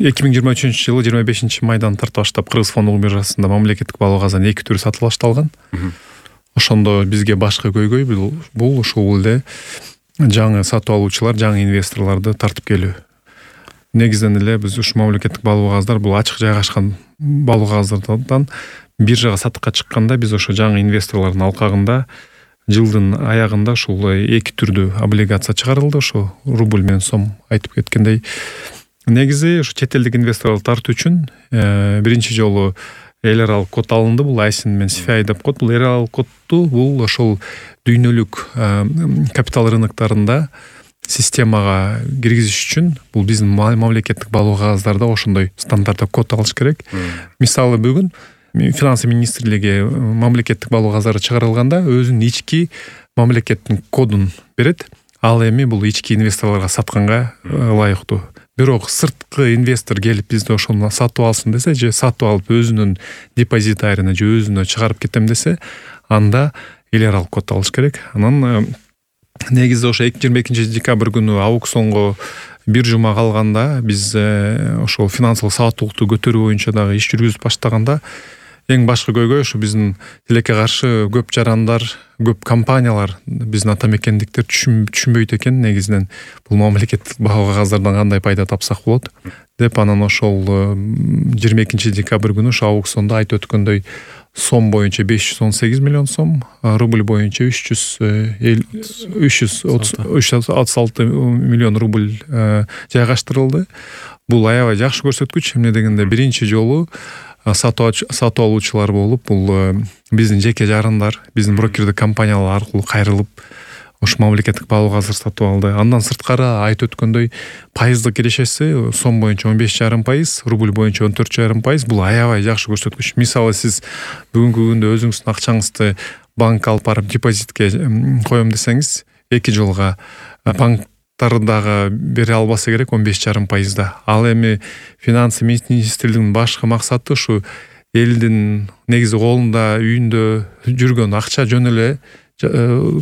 2023-жылы 25-майдан тарта баштап Кыргыз фондулук биржасында мамлекеттик балоо казанын 2 түрү сатып башталган. Ошондо бизге башкы көйгөй бул ушул эле жаңы сатып алуучулар, жаңы инвесторлорду тартып келүү. Негизден эле биз ушу мамлекеттик балоо кагаздар бул ачык жайгашкан балоо кагаздардан биржага сатыкка чыкканда биз ошо жаңы инвесторлордун алкагында жылдын аягында ушул 2 түрдүү облигация чыгарылды. Ошо рубль менен сом айтып кеткендей. Негизи ушу чет элдик инвесторлорду тартуу үчүн биринчи жолу эл аралык код алынды. Бул ISIN менен CFI деп коет. Бул эл аралык кодду бул ошол дүйнөлүк капитал рыноктарында системага киргизиш үчүн бул биздин мамлекеттик балоо кагаздарда ошондой стандартта код алыш керек. Мисалы бүгүн финансы министрлиги мамлекеттик балоо кагаздар чыгарылганда өзүнүн ички мамлекеттин кодун берет. Ал эми бул ички инвесторлорго сатканга ылайыктуу. Бирок сырткы инвестор келип бизди ошону сатып алсын десе же сатып алып өзүнүн депозитарына же өзүнө чыгарып кетем десе, анда эл аралык код алыш керек. Анан негизи ошо 22 декабрь күнү аукционго бир жума калганда биз ошол финансылык сабаттуулукту көтөрүү боюнча дагы иш жүргүзүп баштаганда эң башкы көйгөй ушу биздин тилекке каршы көп жарандар, көп компаниялар биздин ата мекендиктер түшүнбөйт экен негизинен бул мамлекеттик балоо кагаздардан кандай пайда тапсак болот деп. Анан ошол 22 декабрь күнү ошо аукциондо айтып өткөндөй сом боюнча 518 миллион сом, рубль боюнча 336 миллион рубль жайгаштырылды. Бул аябай жакшы көрсөткүч. Эмне дегенде биринчи жолу сатып алуучулар болуп, бул биздин жеке жарандар, биздин брокердик компаниялар аркылуу кайрылып ош мамлекеттик балоо кагаздар сатып алды. Андан сырткары айтып өткөндөй пайыздык кирешеси сом боюнча 15,5%, рубль боюнча 14,5%. Бул аябай жакшы көрсөткүч. Мисалы сиз бүгүнкү күндө өзүңүздүн акчаңызды банкка алып барып депозитке коем десеңиз, 2 жылга банктардагы бере албаса керек 15,5%. Ал эми финансы министрлигинин башкы максаты ушу элдин негизи колунда, үйүндө жүргөн акча жөн эле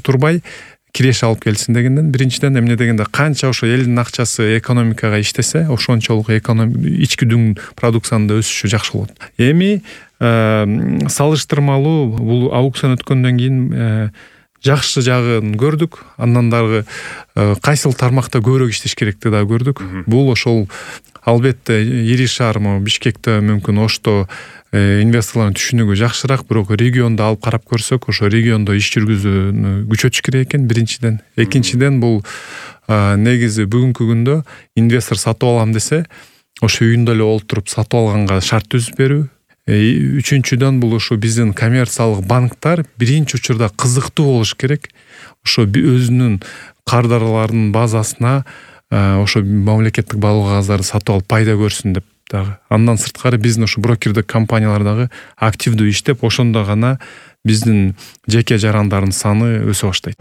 турбай киреше алып келсин дегенден. Биринчиден эмне дегенде канча ошо элдин акчасы экономикага иштесе, ошончолук ички дүң продукциянын да өсүшү жакшы болот. Эми салыштырмалуу бул аукцион өткөндөн кийин жакшы жагын көрдүк. Андан дагы кайсыл тармакта көбүрөөк иштеш керекти да көрдүк. Бул ошол албетте ири шаар Бишкекте мүмкүн Ошто инвесторлордун түшүнүгү жакшыраак, бирок региондо алып карап көрсөк, ошо региондо иш жүргүзүүнү күчөтүш керек экен биринчиден. Экинчиден бул негизи бүгүнкү күндө инвестор сатып алам десе, ошо үйүндө эле олтуруп сатып алганга шарт түзүп берүү. Үчүнчүдөн бул ошо биздин коммерциялык банктар биринчи учурда кызыктуу болуш керек. Ошо өзүнүн кардарларынын базасына ошо мамлекеттик балоо кагаздарды сатып алып пайда көрсүн деп дагы. Андан сырткары биздин ошо брокердик компаниялар дагы активдүү иштеп, ошондо гана биздин жеке жарандардын саны өсө баштайт.